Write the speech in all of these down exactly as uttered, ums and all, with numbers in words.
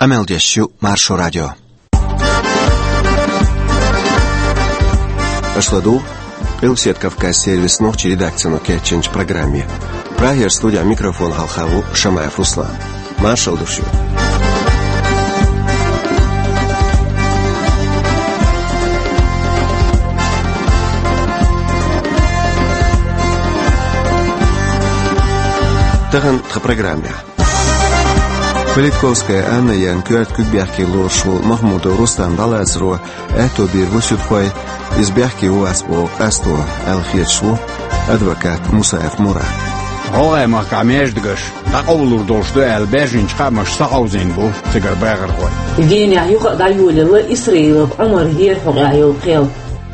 Къамел деш ю Маршо радио. Аша ладугӀу Къилбаседа Кавказ сервисан нохчийн редакцино кечйинчу программе. Прагера студехь микрофон хьалха ву Шамаев Руслан. Маршалла ду шуьга. Тахана тхан программехь. Политковская Анна яьнна коьрта куьг бехке лоруш волу Махмудов Рустам дӀалацаро аьтто бийр бу суьдхойн, иза бехке вац боху къасто, аьлла хеташ ву адвокат Мусаев Мурад. ГӀалгӀай махкахь маьждигаш дӀакъовлур долуш ду аьлла баьржинчу хаамаша схьахьовзийна бу цигара бахархой. Венехь юха а дӀайолаелла Исраилов Ӏумар Герхьукъехь йолу кхел.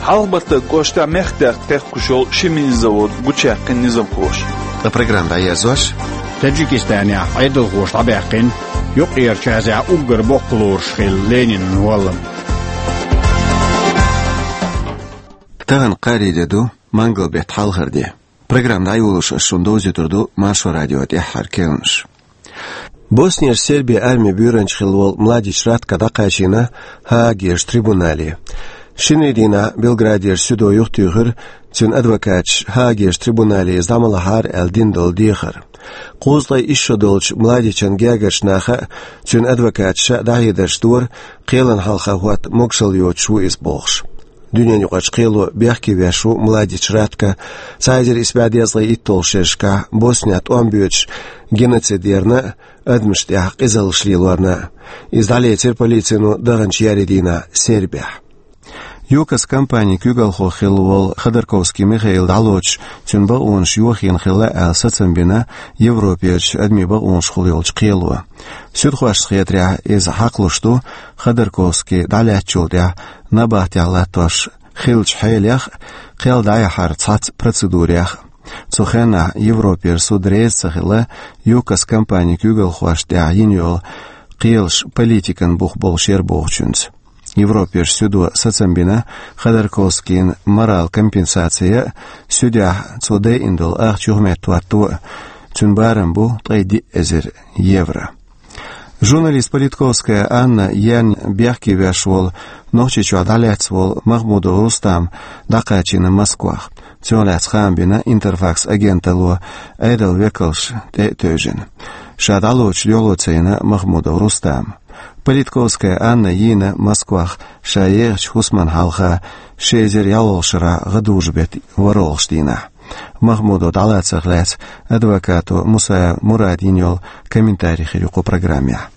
Хьалха-Баттарг кӀоштахь мехкдаьхна кхехкуш йолу ши мини-завод гучуяьккхина низамхоша. Ткъа программа дӀаерзош, Таджикистанехь Ӏедалхоша дӀабаьккхина Юккъерчу Азехь уггар боккха лоруш хилла Ленинан валлам. Тахана кхаарин де ду, мангал беттан хьалхара де. Программа дӀайолош ас шуна довзуьйтур ду Маршо радион тӀаьххьара керланаш. Боснерчу Сербин армин буьйранча хилла волу Младич Ратко дӀакхачийна Гаагерчу трибунале. Шинарин дийнахь Белградерчу суьдо юхатуьйхира цуьнан адвокаташа Гаагерчу трибунале иза дӀа ма лахьара аьлла дина долу дехар. Кхузткъе исс шо долчу Младичан гергарчу наха а, цуьнан адвокаташа а дӀахьедарш дора, кхелана хьалха хӀотта могушалла йоцуш ву иза бохуш. Дуьненаюкъарчу кхело бехке веш ву Младич Ратко цхьа эзар исс бӀе дезткъе итталгӀачу шерашкахь Боснехь тӀом боьдуш геноцид ярна а, адамашна тӀехь къизаллаш лелорна а. Иза дӀалецира полицино даханчу еарин дийнахь Сербехь. ЮКОС компанин куьйгалхо хилла волу Ходорковский Михаил дӀалоцуш, цуьнан бакъонаш йохийна хилла аьлла сацам бина Европерчу адамийн бакъонашкахула йолчу кхело. Суьдхошна хетарехь, иза хьакхалуш ду Ходорковский дӀалаьцначул тӀаьхьа набахтехь латтош хиллачу хьелех а, кхел дӀаяхьаран цхьацца процедурех а. Цу хенахь Европера суд реза ца хилла ЮКОС компанин куьйгалхошна тӀехь йина йолу кхелаш политикан бух болуш яра бохучуьнца. Европерчу суьдо сацам бина Ходорковскийна морал компенсаци а, суьдехь цо дайина долу ахча юхаметтахӀотто а, цуьнан барам бу ткъе диъ эзар евро. Журналист Политковская Анна яьнна бехке веш волу, Нохчийчохь дӀалаьцна волу Махмудов Рустам дӀакхачийна Москвахь. Цунах лаьцна хаам бина Интерфакс агенталло Ӏедалан векалш тӀе а тевжина. Ша дӀалоцуш дуьхьало ца йина Махмудов Рустама. Политковская Анна йийна Москвахь ша ехачу хӀусамна хьалха ши эзар ялхолгӀачу шарахь гӀадужу-беттан ворхӀалгӀачу дийнахь. Махмудов дӀалацарх лаьцна адвокато Мусаев Мурада йина йолу комментари хир ю кху программехь.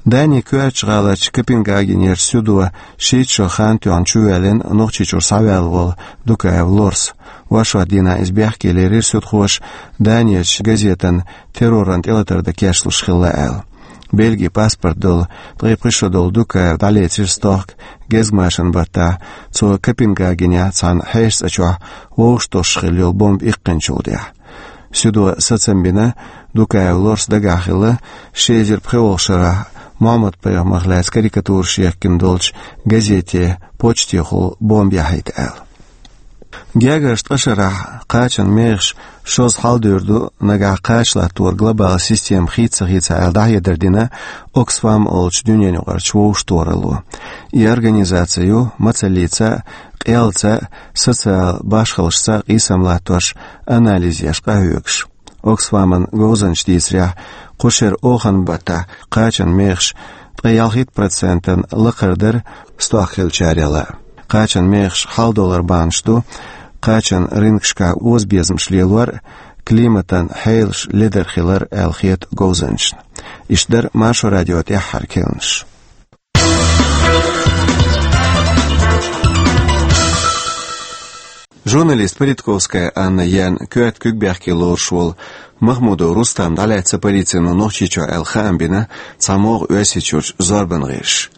Данин коьртачу гӀаларчу Копенгагенерчу суьдо шийтта шо хан тоьхна чувоьллина Нохчийчуьра схьаваьлла волу Дукаев Лорс. ВорхӀ шо дийнахь иза бехке лерира суьдхоша Данерчу газетана терроран тӀелатар дан кечлуш хилла аьлла. Бельгин паспорт долу, ткъе пхи шо долу Дукаев дӀалецира стохка гезгмашин баттахь, цо Копенгагенехь цхьана хьешан цӀа чохь вовшахтосуш хилла йолу бомба иккхинчул тӀаьхьа. Суьдо сацам бина, Дукаев Лорс дагахь хилла ши эзар пхиолгӀачу шарахь Мухьаммад-пайхамарх лаьцна карикатураш яхкина долчу газете почтехула бомба яхьийта аьлла. Гергарчу ткъа шарахь кхачан мехаш шозза хьалдуьйр ду, нагахь кхача латторан глобалан система хийца ца хийца аьлла дӀахьедар дина Оксфам олучу дуьненаюкъарчу вовшахтохаралло. И организаци ю мацаллица а, къелца а, социалан башхаллашца а къийсам латтош, анализ еш къахьоьгуш. Оксфаман говзанчаша дийцарехь, кху шеран оханан баттахь кхачан мехаш ткъе ялхитта процентана лакхара дара стохка хиллачарел а. Кхачан мехаш хьалдолор бахьанаш ду кхачан рынкашкахь озабезамаш лелор а, климатан хьелаш ледар хилар а аьлла хета говзанчашна. Иштта дара Маршо радион тӀаьххьара керланаш. Журналист Политковская Анна яьнна коьрта куьг бехке лоруш волу Махмудов Рустам дӀалаьцна полицино Нохчийчохь аьлла хаам бина цхьамогӀа Оьрсийчуьрчу зорбан гӀирсаша.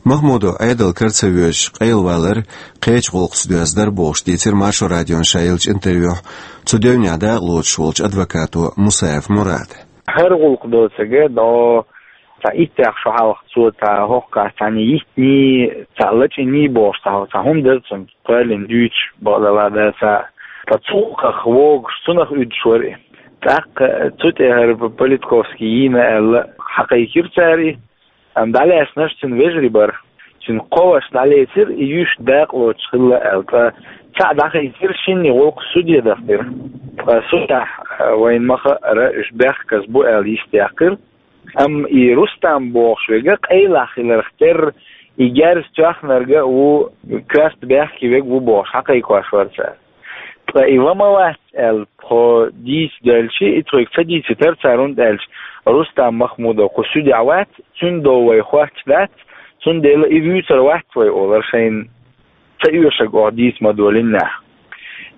Махмудов Ӏедалан кара ца воьдуш къайлавалар кхечу гӀуллакхца доьзна дара бохуш дийцира Маршо радион ша еллачу интервьюхь цу девнехь дакъалоцуш волчу адвокато Мусаев Мурада. ХӀара гӀуллакх доцург а до цхьа иттех шо хьалха цо цхьа хӀокху кхаьччахьана йиттиний, цхьа лачкъийний бохуш цхьа, цхьа хӀума дара цуьнан, кхоьллина дуьйцуш бакъдала дацахь. Ткъа цу гӀуллакхах вогуш цунах уьдуш вара и. ТӀаккха цу тӀе хӀара Политковский йийна аьлла, хьакхайкхира цара и. Амма дӀалаьцнарш цуьнан вежарий бара. Цуьнан кхо ваша дӀалецира, и юьйш дакъа лоцуш хилла аьлла. Ткъа цхьаъ дӀахийцира, шинне гӀуллакх суде дахдира. Ткъа судехь, а, вайна ма-хаъара, уьш бехказа бу аьлла йистехкира. Амма и Рустам бохуш верг къайлах хиларх терра, и герз тоьхнарг а ву, коьрта бехке верг а ву бохуш хьакхайкхош вара цара. Ткъа и ва ма вац аьлла, тхо дийца девлча, и тхоьга ца дийцийтара цара, хӀунда аьлча Рустам Махмудов кху суьдехь вац, цуьнан дов вай хоттуш дац, цундела и вуьйцур вац вай олура шайна ца оьшург оха дийца ма долийна нах.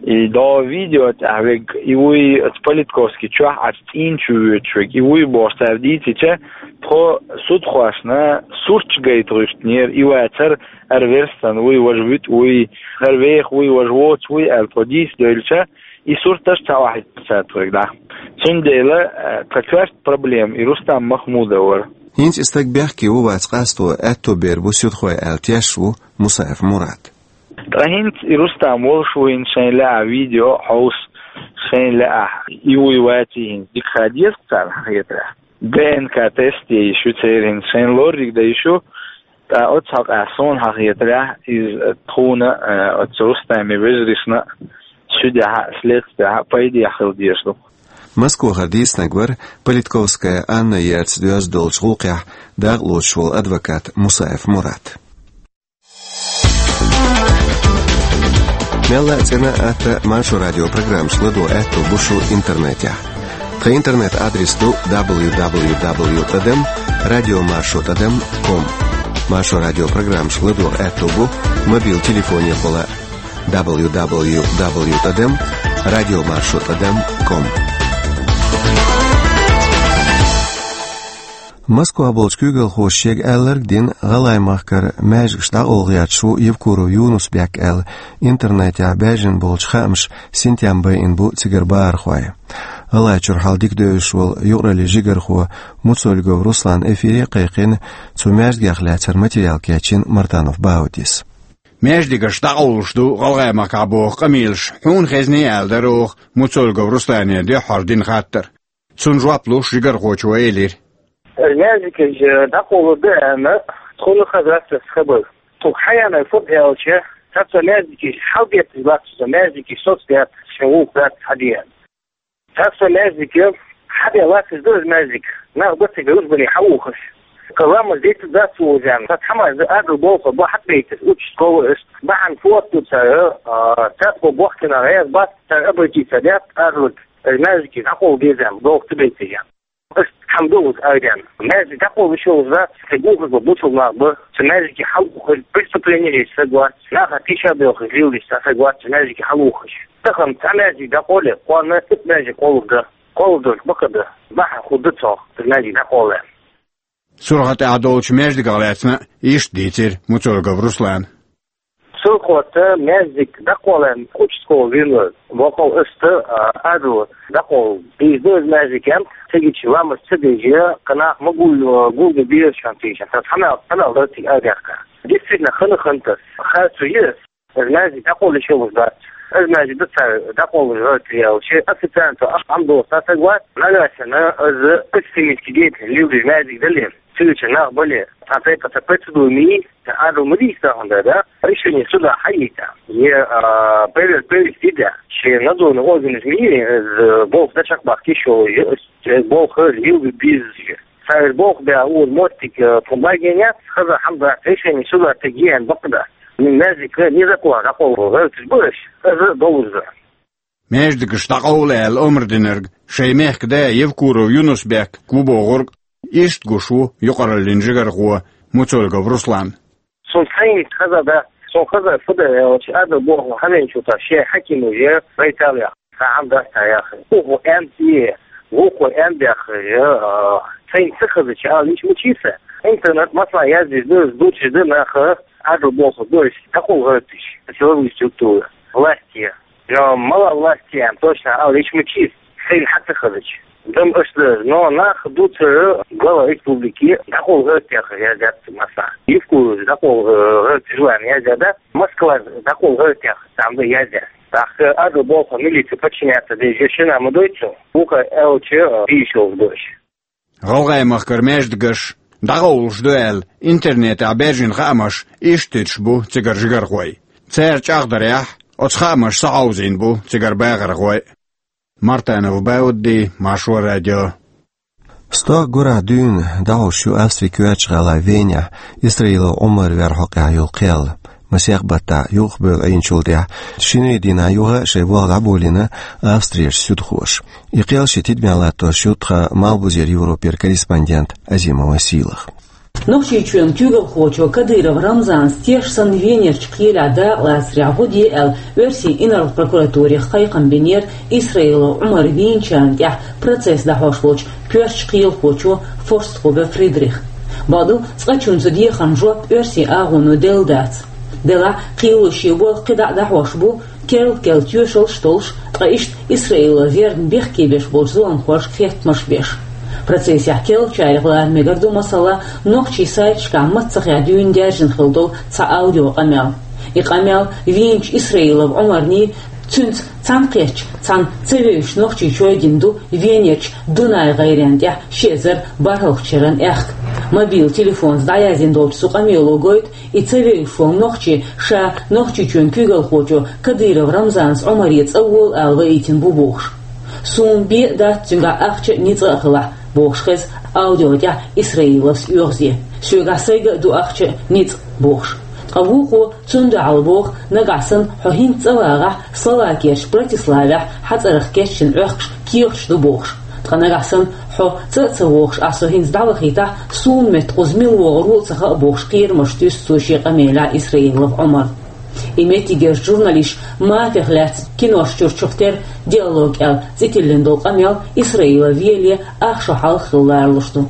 И дов видео тӀехь верг, и вуй оцу Политковский чохь Ӏаш цӀийна чу воьдуш верг, и вуй бохуш цара дийцича, тхо судхошна сурташ гайта гӀуьртинера, и вацара, хӀара верстан вуй, важа вуьтӀа вуй, хӀара веха вуй, важа воцу вуй аьлла тхо дийца девлча, и сурташ ца охьахийтира цара тхоьга дӀа. Цундела, э, тхан коьрта проблема и Рустам Махмудов вара. ХӀинца и стаг бехке ву вац къасто аьтто бер бу суьдхой аьлла тешаш ву Мусаев Мурад. Ткъа хӀинца и Рустам волуш ву хӀинца шайна лаахь видео хьовса, шайна лаахь и вуй ваций хӀинца дика хан деза царна хьан хетарехь. ДНК-тест е йиш ю церан хӀинца, шайна лорриг дан йиш ю, ткъа оцу хьокъехь суна хьан хетарехь, иза тхуна, а, оцу Рустаман вежаршна а, суьдехь а, следствехь а пайдехь хила дезаш ду. Москвахара дийцинарг вара Политковская Анна ерца доьзна долчу гӀуллакхехь дакъа лоцуш волу адвокат Мусаев Мурад. Мелла а цӀена а, атта а Маршо радио программаш ладогӀа аьтто бу шун интернетехь. Тхан интернет-адрес ду дабл ю дабл ю дабл ю тӀадам радио маршо тӀадам ком. Маршо радио программаш ладогӀа аьтто бу мобил телефонехула дабл ю дабл ю дабл ю тӀадам радио маршо тӀадам ком. Москвахь болчу куьйгалхоша шега аьлларг а дина, ГӀалгӀай-махкара маьждигаш дӀакъовла гӀерташ ву Евкуров Юнус-Бек аьлла, интернетехь баьржина болчу хаамаша синтем байина бу цигара бахархой. ГӀалгӀайчуьра хьал дика девзаш волу юкъараллин жигархо Муцольгов Руслан эфире а кхайкхина, цу маьждигех лаьцна материал кечйина Мартанов Баудис. Маьждигаш дӀакъовлуш ду ГӀалгӀай-махкахь боху къамелаш хьуна хезний аьлла дара оха Муцольгов Руслане дуьххьара дина хаттар. Цунна жоп луш жигархочо элира: «Маьждигаш дӀакъовлур ду аьлла, тхуна хаза аса хабар. Тхуна хьаяьннай фу ду аьлча, цхьа со маьждигаш хьалабетташ латташ, со маьждигаш соцбетташ, шайн вукху дац хьадеана. Цхьа со маьждиг хьабе латташ ду иза маьждиг, нах ба цига рузбане хьаухаш. Кхин ламаз дийца дац вузам, цхьа хӀамаш ду, агал болх бу хьатӀабайташ, участковый аш, бахьана фотто цара, а, цхьаьна бохкина гӀеза бац, цара обратиться дац, агал, иза маьждиг дӀакъовла дезам, долх ца байташ». Аш хьан ду вуза айден. Маьждиг дӀакъовла йиш йолуш дац, кхин гугӀуш бу бусулба нах бу, цу маьждиге хьалаухар, преступление еш саг вац, наха тийша бехаш лелаш цхьа саг вац цу маьждиге хьалаухаш. Тахана цхьа маьждиг дӀакъовле, кхунна итт маьждиг кхолларгда, кхолладарг бакъда, бахьана хӀун ду цох, цу маьждиг дӀакъовле. Сурхатехь долчу маьждигах лаьцна иштта дийцира Муцольгов Руслана. Сурхатта маьждиг дӀакъовлан участковый вина вара, вокхал аста, а, аьлла, дӀакъовла дийза ду иза маьждиг, цига ламаз ца деш, кхин нах ма гул-, гулбе безаш хӀума тийша, цхьа хӀамал, хӀамал дара цига айдехка. Действительно, хана хантас, харцо ю, иза маьждиг дӀакъовла йиш йолуш дац. Иза маьждиг ду цара дӀакъовлуш гӀертар аьлча, официально цо ахь хӀама доцу цхьа саг вац, нагахь санна иза экстремистский деятельность лелош маьждиг дале, цуьнан нах бале, цхьа тайпа цхьа процедура ма йий, цхьа агал ма дийца хӀунда, да? Решение суда хьаийца. Е, а, проверка провести, да? Шен надзорный органаш ма йий, иза болх дан чекхбаккха йиш йолу, е, иза болх хӀара лелабе беза. Цара болх бен ур моттиг, э, тхуна бахьана яц, хаза хӀама дац, решение суда тӀе еана бакъда. Маьждиг незаконно дӀакъовла гӀерташ бу уьш, иза долуш ду. Маьждигаш дӀакъовла аьлла омра динарг шайн мехкан да Евкуров Юнус-Бек ву бохург иштта гуш ву юкъараллин жигархо Муцольгов Руслан. Суна сайна хаза дац, суна хаза фу ду аьлча, ада боху хӀаманчу тӀа шен хьакимаш я, вайталех, цхьа хӀама дац цхьа яхар. Вукхо аьнна цӀе, вукхо аьнна бехар, а, сайна ца хазача ала йиш ма йий сан. Интернет масала яздеш ду, дучу ду наха, ада боху дойш, дӀакъовла гӀерташ, силовые структуры, власти. Но мала власти аьнна точно ала йиш ма йий, сайна хьа ца хазача. Дам аш ду, но нах дуцура глава республики дӀакъовла гӀертех яздаьд масса. Евкуров дӀакъовла гӀерташ ву аьнна яздаьд, Москва дӀакъовла гӀертех цхьаъ ду яздаьд. ТӀаккха ада боху милиция подчиняться деш шина ма дойту, вукхо аьлча, бийш йолуш ду уьш. ГӀалгӀай-махкара маьждигаш дӀакъовлуш ду аьлла, интернетехь баьржина хаамаш иштта туьтуш бу цигара жигархой. Цара чӀагӀдарехь, оцу хаамаша схьахьовзийна бу цигара бахархой. Мартанов Баудди, Маршо радио. Стохка гурахь дуьйна дӀахьош ю Австрин коьртачу гӀала Венехь Исраилов Ӏумар верна хьокъехь йолу кхел. Масех баттахь юхабевлла Ӏийначул тӀаьхьа шинарин дийнахь юха а шайн болх дӀаболийна Австрерчу суьдхоша. И кхел шен тидамехь латтош ю тхан Малхбузера Европера корреспондент Азимова Сийлаха. Нохчийчоьнан куьйгалхочо Кадыров Рамзана теш санна Венерчу кхелехь дакъалацарехь гӀо де аьлла, оьрсийн инарла прокуратуре кхайкхам бинера Исраилов Ӏумар вийначарна тӀехь процесс дӀахьош волчу коьртачу кхелахочо Форстхубер Фридриха. Бакъду, цкъачунна цу дехарна жоп оьрсийн агӀоно делла дац. Делахь, кхело шен болх кхидӀа а дӀахьош бу, керла-керла тоьшаллаш а толлуш, ткъа иштта Исраилов верна бехке беш болчу зуламхошка хеттамаш а беш. Процессехь керлачарех лара мегар ду, масала, нохчийн сайташкахь маццахь дуьйна даьржина хилла долу цхьа аудиокъамел. И къамел вийначу Исраилов Ӏумарний, цуьнца цхьаьнакхеттачу цхьана ца вевзачу нохчичой дина ду Венерчу Дунай-гӀайренна тӀехь ши эзар бархӀалгӀачу шеран аьхка. Мобил телефонца дӀаяздина долчу цу къамело гойту, и ца вевзаш волу нохчи ша Нохчийчоьнан куьйгалхочо Кадыров Рамзанца Ӏумаре цӀа волу ала ваийтина бу бохуш. «Суна бен а дац цуьнгахь ахча а, ницкъ а хилахь», — бохуш хеза аудио тӀехь Исраиловс оьгӀазе. «Соьгахь сайга а ду ахча а, ницкъ а», — бохуш. Ткъа вукхо цунна дуьхьал боху: «Нагахь санна хьо хӀинца цӀа вагӀахь, Словакерчу Братиславехь хьан цӀарах кечдина Ӏохкуш кехаташ ду», — бохуш. «Ткъа нагахь санна хьо цӀа а ца вогӀуш, ахь со хӀинца дӀавахийтахь, суна метта кхуза мила вогӀур ву а ца хаьа», — бохуш, кхерамаш туьйсу цо шен къамелехь Исраилов Ӏумарна. И меттигерчу журналисташа мафех лаьцна кинош чуьра чухтер «Диалог» аьлла цӀе тиллина долу къамел Исраилов веле ах шо хьалха хилла ларалуш ду.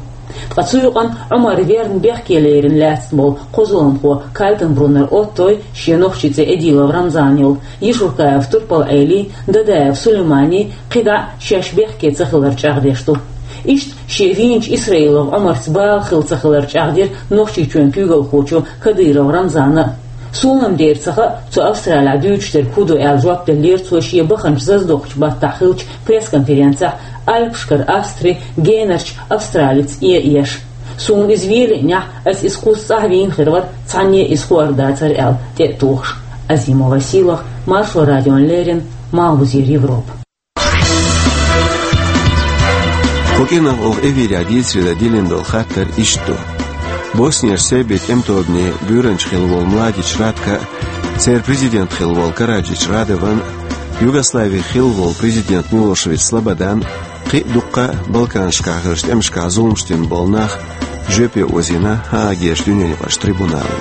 Ткъа цу юкъана Ӏумар верна бехке лерина лаьцна болу кхо зуламхо Кальтенбруннер Оттой, шен нохчийн цӀе Эдилов Рамзан йолу, Ешуркаев Турпал-Ӏелий, Дадаев Сулейманий кхидӀа а шаьш бехке ца хилар чӀагӀдеш ду. Иштта шен вийначу Исраилов Ӏумарца бала хилла ца хилар чӀагӀдира Нохчийчоьнан куьйгалхочо Кадыров Рамзана а. Суна-м дера ца хаьа, цу Австралехь дуьйцуш дерг хӀун ду аьлла, жоп деллера цо шен баханчу заздокхучу баттахь хиллачу пресс-конференцехь Альпашкара Австри генарчу австралец Ӏе а еш. «Суна иза велиънехь, ас иза кхуза цӀахь вийна хир вара, цхьанне а иза хуур дацара», — аьлла, тӀе а тухуш. Азимова Сийлаха, Маршо радиона леррина, Малхбузера Европа. Кху кӀиранах оха эфирехь дийцаре дан диллина долу хаттар иштта ду. Боснерчу сербийн тӀеман тобанийн буьйранча хилла волу Младич Ратко а, церан президент хилла волу Караджич Радован а, Югославин хилла волу президент Милошевич Слободан а, кхин а дуккха а Балканашкахь хиллачу тӀемашкахь зуламаш дина болу нах жоьпе озийна Гаагерчу дуьненаюкъарчу трибунало.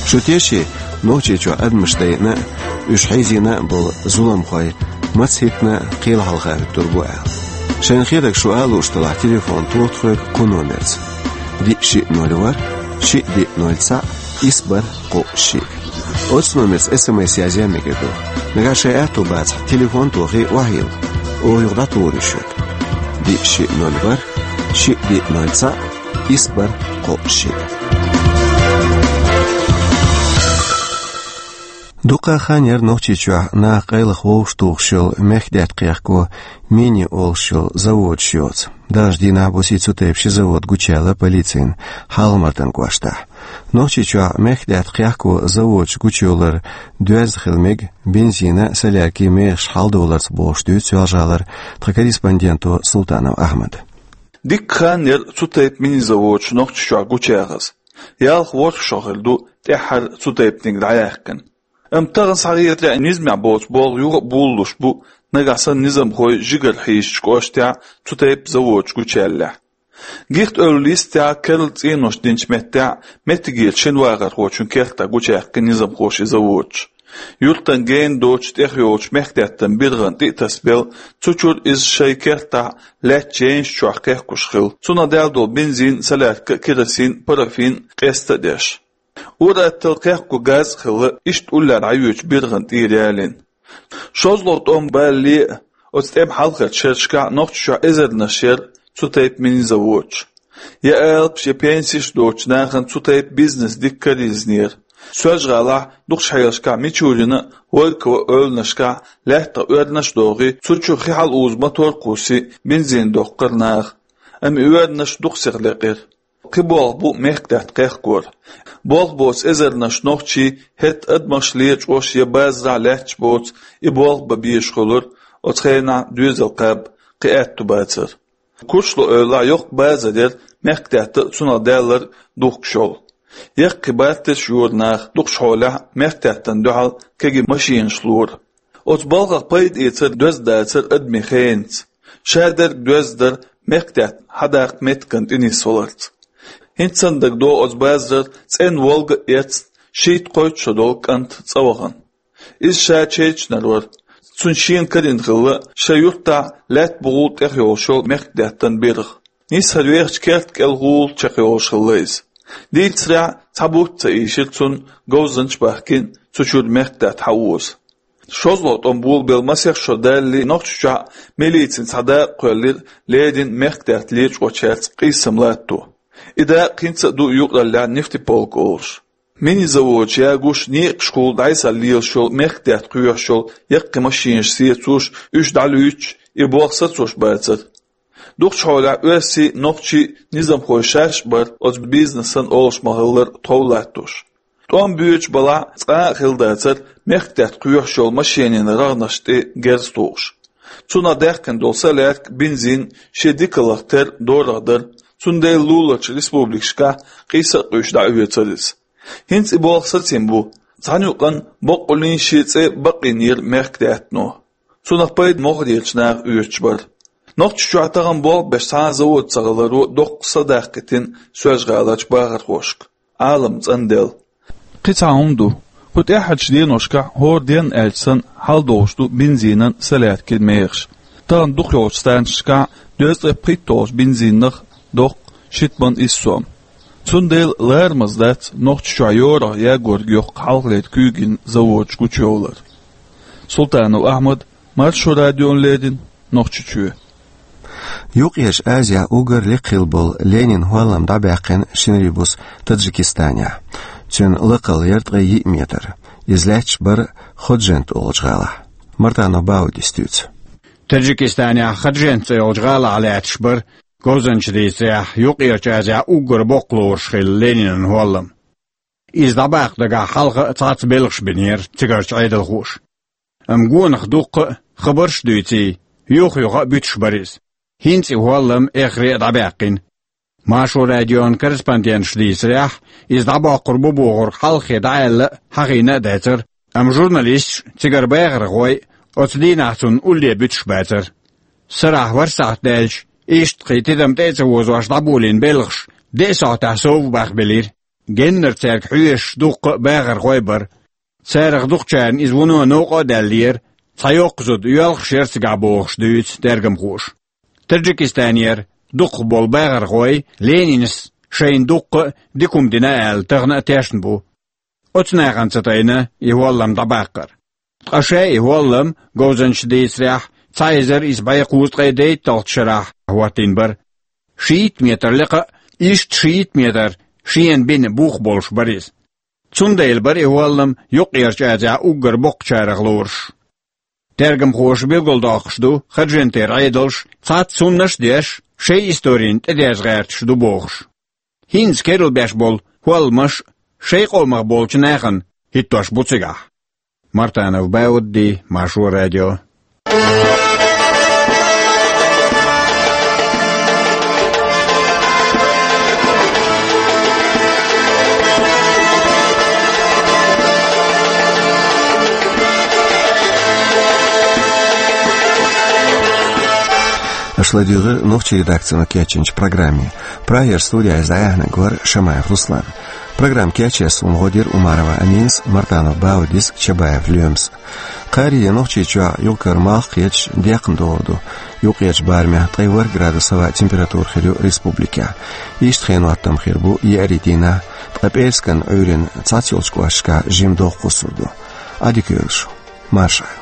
Шу теший, Нохчийчохь адамаш дайъина а, уьш хьийзийна а болу зуламхой маца хӀиттина а кхел хьалха хӀуьттур бу аьлла? Шайна хетарг шу ала лууш делахь, телефон тоха тхоьга кху номерца: диъ шиъ ноль ворхӀ, шиъ диъ ноль цхьаъ, исс бархӀ кхоъ шиъ. Оцу номерца эс эм эс язъян мегар ду. Нагахь шайн аьтто бацахь, телефон тохий, охьайилла. Оха юха дӀатухур ю шуьга. Диъ шиъ ноль ворхӀ, шиъ диъ ноль цхьаъ, исс бархӀ кхоъ шиъ. Дуккха а хан яра Нохчийчохь наха къайлаха вовшахтухуш йолу мехкдаьтта кхехко «Мини» олуш йолу заводаш йоцу. Даханчу дийнахь бусий цу тайпа ши завод гучуяьлла полицина Хьалха-Мартан кӀоштахь. Нохчийчохь мехкдаьтта кхехко заводаш гучуйовлар доьзна хила мега бензинан а, соляркин а мехаш хьалдовларца, бохуш дуьйцу Соьлжа-ГӀалара тхан корреспонденто Султанов Ахьмада. Дикка хан яра цу тайпа мини-заводаш Нохчийчохь гучуяхаза. Ялх-ворхӀ шо хир ду тӀаьххьара цу тайпаниг дӀаяьккхина. Амма тахана схьахетарехь, низамехь боцу болх юха а болалуш бу, нагахь санна низамхой жигара хьийзачу кӀоштехь цу тайпа заводаш гучуяьллехь. Гихт-Эвла йистехь, керла цӀенош динчу меттехь, меттигерчу шина вахархочун кертахь гучуяьккхина низамхоша и заводаш. Юьртан гена доцуш тӀехйолчу мехкдаьттан биргӀан тӀе а тасабелла, цу чуьра иза шайн кертахь лаьттачу янаш чохь кхехкуш хилла. Цунах даьлла долу бензин а, солярка а, керосин а, парафин а къеста а деш. Ур-атталла кхехко газ а хилла, иштта уллера дӀайоьдучу биргӀан тӀера ялийна. ШозлагӀа тӀом балале а, оцу тӀеман хьалхарчу шерашкахь Нохчийчохь эзарнаш яра цу тайпа мини-заводаш. Я алапаш, я пенсеш доцучу нахана цу тайпа бизнес дика карийзинера. Соьлжа-ГӀалахь дукхачу хьелашкахь Мичурина а, Волькова а ойланашкахь лаьттах оьрнаш а дохий, цу чу хи хьалаузу мотор а кхуссий, бензин доккхура наха. Амма и оьрнаш дукха сиха лекъира. Кхин болх бу мехкдаьтта кхехкор. Болх боцу эзарнаш нохчий хӀетта адамаш лечкъош я базарахь лаьтташ боцу и болх бан безаш хуьлура оцу хенахь доьзал кхаба кхин аьтту бацара. Курчалой-Эвлахь йоккха базар яра мехкдаьтта а, цунах даьлларг духкуш йолу. Яккхий батташ йора наха дукхачу хьолехь мехкдаьттана дуьхьал кегий машенаш лора. Оцу балхах пайда эцар доьзна дацара адамийн хенаца. Шадерг доьзна дара мехкдаьтта хьадаккха меттиган тӀенисваларца. ХӀинца санна дагадогӀу оцу базарара цӀена волга а эцна, шийтта-кхойтта шо долу кӀант цӀа вахана. Иза ша чечанар вара. Цунна шена карийна хилла, шайн юьртахь лаьтта бухахула тӀехйолуш йолу мехкдаьттан биргӀа. Нисса хӀара вехачу керта кӀел гӀула чекхйолуш хилла иза. Дийцарехь, цхьа бутт а ца ийшира цунна, говзанча бахкина цу чуьра мехкдаьтта хьаоза. ШозлагӀа тӀом болабелла масех шо далале, Нохчийчохь милицина цхьа дакъа кхоьллира леррина мехкдаьтта лечкъочаьрца къийсам латто. И дакъа хӀинца а ду юкъараллехь нефтеполк олуш. Мини-заводаш ягош, некъашкахула дӀасалелаш йолу мехкдаьтта кхоьхьуш йолу яккхий машенаш сецош, уьш дӀалуьйчуш, и болх сацош бацара. Дукхачу хьолехь оьрсий, нохчий, низамхой шаьш а бара оцу бизнесан олуш ма-хиллара тхов латтош. ТӀом боьдуш балахь, цкъа а хилла дацара мехкдаьтта кхоьхьуш йолу машенийн рагӀнаш тӀе герз тухуш. Цунах даьккхина долу солярка, бензин шен дикаллах терра дорах дара, цундела луларчу республикашкахь къийса а къуьйсуш дӀаоьцура иза. ХӀинца и болх сацийна бу. Цхьана юкъанна боккъаллин шен цӀе бакъйинера мехкдаьттано. Цунах пайда могӀарерчу наха оьцуш бара. Нохчийчохь тахана болх беш цхьа а завод ца хиларо доккха са даккхийтина Соьлжа-ГӀаларчу бахархошка, Ӏалам цӀанделла. Кхин цхьа хӀума ду. Кху тӀаьххьарчу деношкахь хӀора денна аьлча санна хьалдолуш ду бензинан, соляркин мехаш. Тахана дукхахйолчу станцешкахь дезткъе пхийтталгӀачу бензинах доккху шитман исс сом. Цундела ларамаза дац Нохчийчохь йорах ягорг йоккха хьалхалера куьйгийн заводаш гучуйовлар. Султанов Ахьмад, Маршо радиона леррина, Нохчийчоь. Юккъерчу Азехь уггар лекха хилла болу Ленинан хӀоллам дӀабаьккхина шинарий буса Таджикистанехь. Цуьнан лакхалла яра ткъе йиъ метр. Иза лаьтташ бара Ходжент олучу гӀалахь. Мартанов Баудис дуьйцу. Таджикистанехь Ходжент цӀе йолчу гӀалахь лаьтташ бара, говзанчаша дийцарехь, Юккъерчу Азехь уггар боккха лоруш хилла Ленинан хӀоллам. Иза дӀабаккха дагахь хьалха а цхьацца белхаш бинера цигарчу Ӏедалхоша. Амма гонах дуккха а, хабарш а дуьйций, юха-юха а буьтуш бара иза. ХӀинца и хӀоллам эххар а дӀабаьккхина. Маршо радион корреспонденташа дийцарехь, иза дӀабоккхур бу бохург хьалххе дӀааьлла а, хьахийна а дацара, амма журналисташ а, цигара бахархой а оцу дийнахь цунна улле буьтуш бацара. Сарахь ворхӀ сахьт даьлча, иштта кхин тидам тӀе а ца возош дӀаболийна белхаш деа сахьтехь сов бахбелира. Геннара цаьрга хьоьжуш дуккха а бахархой а бара. Царах дукхачарна иза вуно новкъа а даьллера, цхьа йоккха зуда йоьлхуш яра цигахь бохуш дуьйцу тергамхоша. Таджикистанера дукхахболу бахархой Ленинас шайна дуккха а дика хӀума дина аьлла тахана а тешна бу. Оцу нахана ца тайна и хӀоллам дӀабаккхар. Ткъа ша и хӀоллам, говзанчаша дийцарехь, цхьа эзар исс бӀе кхузткъе дейтталгӀачу шарахь хӀоттийна бара. Шийтта метр лекха а, иштта шийтта метр шена бина бух болуш бара иза. Цундела бара и хӀоллам Юккъерчу Азехь уггар боккхачарах лоруш. Тергамхоша билгалдоккхуш ду Ходжентера Ӏедалш, цхьацца хӀуманаш а деш, шайн историна тӀедерза гӀерташ ду бохуш. ХӀинца керла беш болу хӀолламаш а шайн къомах болчу нахана хӀиттош бу цигахь. Мартанов Баудди, Маршо радио. Аша ладуьйгӀира нохчийн редакцино кечйинчу программе. Прагера студехь иза дӀаяьхьнарг вара Шамаев Руслан. Программа кечъеш суна гӀо дира Умарова Аминас, Мартанов Баудис, Чабаев Лоьмас. Кхаарийе Нохчийчохь юкъара малх кхеташ, декхна догӀур ду. Юккъерчу барамехь ткъе ворхӀ градус хӀаваан температура хир ю республикехь. Иштта хенан хӀоттам хир бу еарин дийнахь, ткъа пӀераскан Ӏуьйранна цхьацца йолчу кӀошташкахь жимма догӀа кхуссур ду. Ӏадика йойла шу. Марша Ӏа.